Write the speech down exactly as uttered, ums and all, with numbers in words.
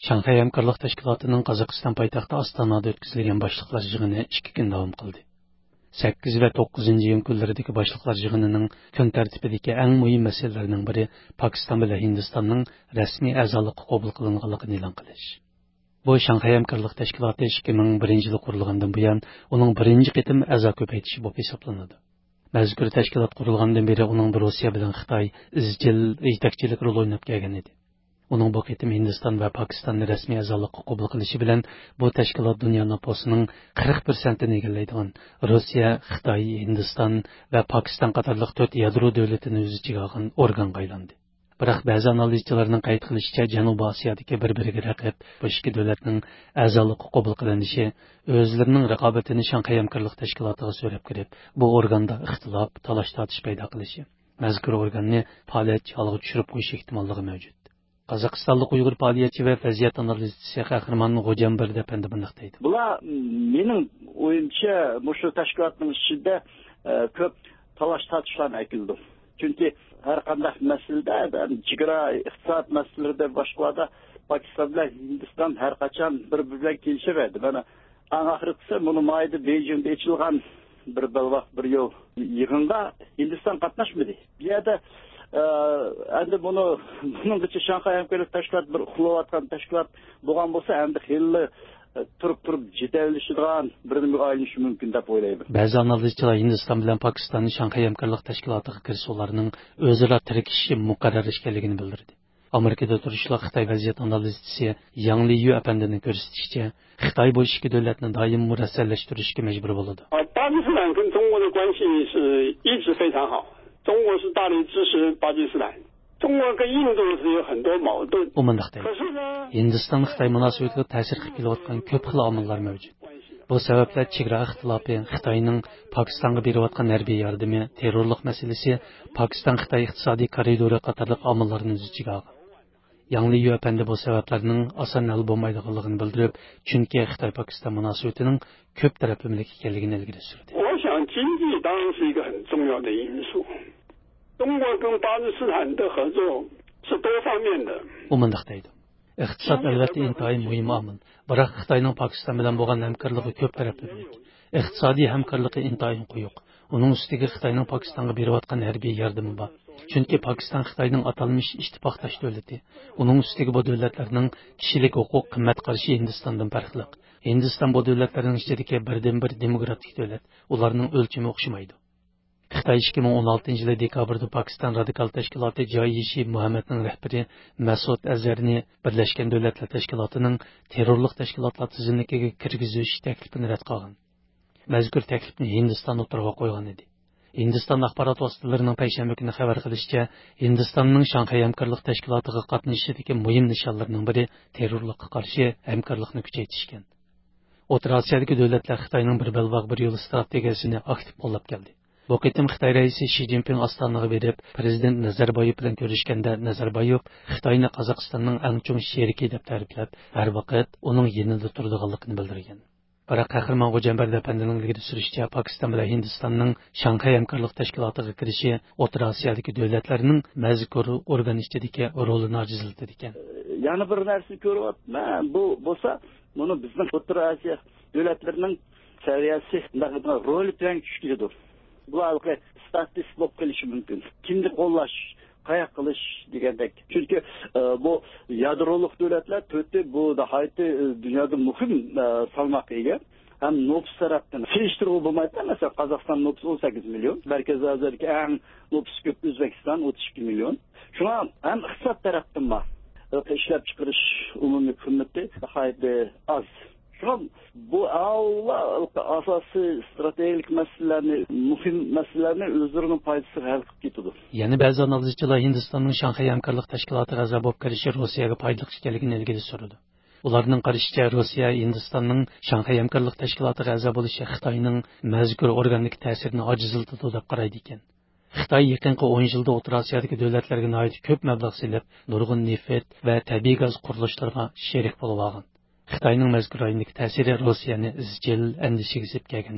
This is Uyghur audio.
شاڭخەي ھەمكارلىق تەشكىلاتىنىڭ قازاقىستان پايتەختى ئاستانادا ئۆتكۈزۈلگەن باشلىقلار يىغىنى ئىككى كۈن داۋام قىلدى. سەككىز ۋە توققۇزىنچى ئىيۇن كۈنلىرىدىكى باشلىقلار يىغىنىنىڭ كۈن تەرتىپىدىكى ئەڭ مۇھىم مەسىلىلەرنىڭ بىرى پاكىستان بىلەن ھىندىستاننىڭ رەسمىي ئەزالىققا قوبۇل قىلىنغانلىقىنى ئېلان قىلىش. بۇ شاڭخەي ھەمكارلىق تەشكىلاتى ئىككى مىڭ بىرىنچى يىلى قۇرۇلغاندىن بۇيان، ئۇنىڭ بىرىنچى قېتىم ئەزا كۆپەيتىشى بولۇپ ھېسابلىنىدۇ. مەزكۇر تەشكىلات قۇرۇلغاندىن بېرى ئۇنىڭدا روسىيە بىلەن خىتاي ئىزچىل يېتەكچىلىك رولى ئويناپ كەلگەن ئىدى. ئۇنىڭ بۇ قېتىم ھىندىستان ۋە پاكىستاننى رەسمىي ئەزالىققا قوبۇل قىلىشى بىلەن، بۇ تەشكىلات دۇنيا نوپۇسىنىڭ قىرىق پىرسەنتىنى ئىگىلەيدىغان روسىيە، خىتاي، ھىندىستان ۋە پاكىستان قاتارلىق تۆت يادرو دۆلىتىنى ئۆز ئىچىگە ئالغان ئورگانغا ئايلاندى. بىراق، بەزى ئانالىزچىلارنىڭ قەيت قىلىشىچە، جەنۇبىي ئاسىيادىكى بىر-بىرىگە رەقىب بۇ ئىككى دۆلەتنىڭ ئەزالىققا قوبۇل قىلىنىشى ئۆزلىرىنىڭ رىقابىتىنى شاڭخەي ھەمكارلىق تەشكىلاتىغا سۆرەپ كىرىپ، بۇ ئورگاندا ئىختىلاپ، تالاش-تارتىش پەيدا قىلىشى، مەزكۇر ئورگاننى پائالىيەتچى ھالىغا چۈشۈرۈپ قويۇش ئېھتىماللىقى مەۋجۇت. قازاقىستانلىق ئۇيغۇر پائالىيەتچى ۋە ۋەزىيەت ئانالىزچىسى قەھرىمان غوجامبەردى ئەپەندى مۇنداق دەيدۇ. بۇلار، مېنىڭ ئويۇمچە، مۇشۇ تەشكىلاتنىڭ ئىچىدە، ئە، كۆپ تالاش-تارتىشلارنى ئەكېلىدۇ. چۈنكى ھەر قانداق مەسىلىدە، چېگرا، ئىقتىساد مەسىلىلىرىدە، باشقىلاردا پاكىستان بىلەن ھىندىستان ھەر قاچان بىر-بىرى بىلەن كېلىشەلمەيدۇ. مانا، ئەڭ ئاخىرقىسى مۇنۇ مايدا بېيجىڭدا ئېچىلغان بىر بەلباغ بىر يول يىغىنغا ھىندىستان قاتناشمىدى. بۇ يەردە، ئە، ئەمدى بۇنى، بۇنىڭغىچە شاڭخەي ھەمكارلىق تەشكىلاتى بىر ئۇخلاۋاتقان تەشكىلات بولغان بولسا، ئەمدى خېلىلا، ئە، تۇرۇپ-تۇرۇپ جېدەللىشىدىغان بىر نېمىگە ئايلىنىشى مۇمكىن دەپ ئويلايمەن. بەزى ئانالىزچىلار ھىندىستان بىلەن پاكىستاننى شاڭخەي ھەمكارلىق تەشكىلاتىغا كىرىشى ئۇلارنىڭ ئۆزئارا تىركىشىشى مۇقەررەر ئىكەنلىكىنى بىلدۈردى. ئامېرىكىدا تۇرۇشلۇق خىتاي ۋەزىيەت ئانالىزچىسى ياڭ لىيۈ ئەپەندىنىڭ كۆرسىتىشىچە، خىتاي بۇ ئىككى دۆلەتنى دائىم مۇرەسسەلەشتۈرۈشكە مەجبۇر بولىدۇ. 巴基斯坦跟中国的关系是一直非常好，中国是大力支持巴基斯坦。中国跟印度是有很多矛盾。 ئۇ مۇنداق دەيدۇ. 可是呢， ھىندىستان-خىتاي مۇناسىۋىتىگە تەسىر قىلىپ كېلىۋاتقان كۆپ خىل ئامىللار مەۋجۇت. بۇ سەۋەبلەر چېگرا ئىختىلاپى، خىتاينىڭ پاكىستانغا بېرىۋاتقان ھەربىي ياردىمى، تېررورلۇق مەسىلىسى، پاكىستان-خىتاي ئىقتىسادىي كارىدورى قاتارلىق ئامىللارنى ئۆز ئىچىگە ئالغان. ياڭ لىيۈ ئەپەندى بۇ سەۋەبلەرنىڭ ئاسان ھەل بولمايدىغانلىقىنى بىلدۈرۈپ، چۈنكى خىتاي-پاكىستان مۇناسىۋىتىنىڭ كۆپ تەرەپلىمىلىك ئىكەنلىكىنى ئىلگىرى سۈردى. 我想经济当然是一个很重要的因素。中国跟巴基斯坦的合作是多方面的。 ئۇ مۇنداق دەيدۇ. ئىقتىساد، ئەلۋەتتە، ئىنتايىن مۇھىم ئامىل. بىراق خىتاينىڭ پاكىستان بىلەن بولغان ھەمكارلىقى كۆپ تەرەپلىمىلىك. ئىقتىسادىي ھەمكارلىقى ئىنتايىن قويۇق. ئۇنىڭ ئۈستىگە خىتاينىڭ پاكىستانغا بېرىۋاتقان ھەربىي ياردىمى بار. چۈنكى پاكىستان خىتاينىڭ ئاتالمىش ئىتتىپاقداش دۆلىتى. ئۇنىڭ ئۈستىگە بۇ دۆلەتلەرنىڭ كىشىلىك ھوقۇق قىممەت قارىشى ھىندىستاندىن پەرقلىق. ھىندىستان بۇ دۆلەتلەرنىڭ ئىچىدىكى بىردىنبىر دېموكراتىك دۆلەت. ئۇلارنىڭ ئۆلچىمى ئوخشىمايدۇ. خىتاي ئىككى مىڭ ئون ئالتىنچى يىلى دېكابىردا پاكىستان رادىكال تەشكىلاتى جايىشى مۇھەممەدنىڭ رەھبىرى مەسۇد ئەزھەرنى بىرلەشكەن دۆلەتلەر تەشكىلاتىنىڭ تېررورلۇق تەشكىلاتلار تىزىملىكىگە كىرگۈزۈش تەكلىپىنى رەت قىلغان. مەزكۇر تەكلىپنى ھىندىستان ئوتتۇرىغا قويغان ئىدى. ھىندىستان ئاخبارات ۋاسىتىلىرىنىڭ پەيشەنبە كۈنى خەۋەر قىلىشىچە، ھىندىستاننىڭ شاڭخەي ھەمكارلىق تەشكىلاتىغا قاتنىشىشىدىكى مۇھىم نىشانلىرىنىڭ بىرى تېررورلۇققا قارشى ھەمكارلىقنى كۈچەيتىشكەن. ئوتتۇرا ئاسىيادىكى دۆلەتلەر خىتاينىڭ بىر بەلباغ بىر يول ئىستراتېگىيەسىنى ئاكتىپ قوللاپ كەلدى. بۇ قېتىم خىتاي رەئىسى شى جىنپىڭ ئاستانىغا بېرىپ، پىرېزىدېنت نەزەربايېۋ بىلەن كۆرۈشكەندە، نەزەربايېۋ خىتاينى قازاقىستاننىڭ ئەڭ چوڭ شېرىكى دەپ تەرىپلەپ، ھەر ۋاقىت ئۇنىڭ يېنىدا تۇرىدىغانلىقىنى بىلدۈرگەن. بىراق قەھرىمان غوجامبەردى ئەپەندىنىڭ ئىلگىرى سۈرۈشىچە، پاكىستان بىلەن ھىندىستاننىڭ شاڭخەي ھەمكارلىق تەشكىلاتىغا كىرىشى ئوتتۇرا ئاسىيادىكى دۆلەتلەرنىڭ مەزكۇر ئورگان ئىچىدىكى رولىنى ئاجىزلىتىدىكەن. يەنە بىر نەرسىنى كۆرۈۋاتىمەن. بۇ بولسا، بۇنى بىزنىڭ ئوتتۇرا ئاسىيا دۆلەتلىرىنىڭ سەۋىيەسى، رولى تۆۋەنگە چۈشۈپ كېتىدۇ. بۇلار ھېلىقى ستاتىست بولۇپ قېلىشى مۇمكىن. كىمنى قوللاش، قاياق قىلىش دېگەندەك. چۈنكى، ئە، بۇ يادرولۇق دۆلەتلەر تۆتى، بۇ ناھايىتى، ئە، دۇنيادا مۇھىم، ئە، سالماققا ئىگە. ھەم نوپۇس تەرەپتىن سېلىشتۇرغىلى بولمايدۇ. مەسىلەن، قازاقىستان نوپۇسى ئون سەككىز مىليون. مەركىزىي ئاسىيادىكى ئەڭ نوپۇسى كۆپ ئۆزبېكىستان، ئوتتۇز ئىككى مىليون. شۇڭا ھەم ئىقتىساد تەرەپتىنمۇ، ئە، ئىشلەپچىقىرىش ئومۇمىي قىممىتى ناھايىتى ئاز. شۇڭا بۇ ئاۋۋال ئاساسىي ئىستراتېگىيەلىك مەسىلىلەرنى، مۇھىم مەسىلىلەرنى ئۆزلىرىنىڭ پايدىسىغا ھەل قىلىپ كېتىدۇ. يەنە بەزى ئانالىزچىلار ھىندىستاننىڭ شاڭخەي ھەمكارلىق تەشكىلاتىغا ئەزا بولۇپ كىرىشى روسىيەگە پايدىلىق ئىكەنلىكىنى ئىلگىرى سۈرىدۇ. ئۇلارنىڭ قارىشىچە، روسىيە ھىندىستاننىڭ شاڭخەي ھەمكارلىق تەشكىلاتىغا ئەزا بولۇشى خىتاينىڭ مەزكۇر ئورگاندىكى تەسىرىنى ئاجىزلىتىدۇ دەپ قارايدىكەن. خىتاي يېقىنقى ئون يىلدا ئوتتۇرا ئاسىيادىكى دۆلەتلەرگە ناھايىتى كۆپ مەبلەغ سېلىپ، نۇرغۇن نېفىت ۋە تەبىئىي گاز قۇرۇلۇشلىرىغا شېرىك بولۇۋالغان. خىتاينىڭ مەزكۇر رايوندىكى تەسىرى روسىيەنى ئىزچىل ئەندىشىگە سېلىپ كەلگەن.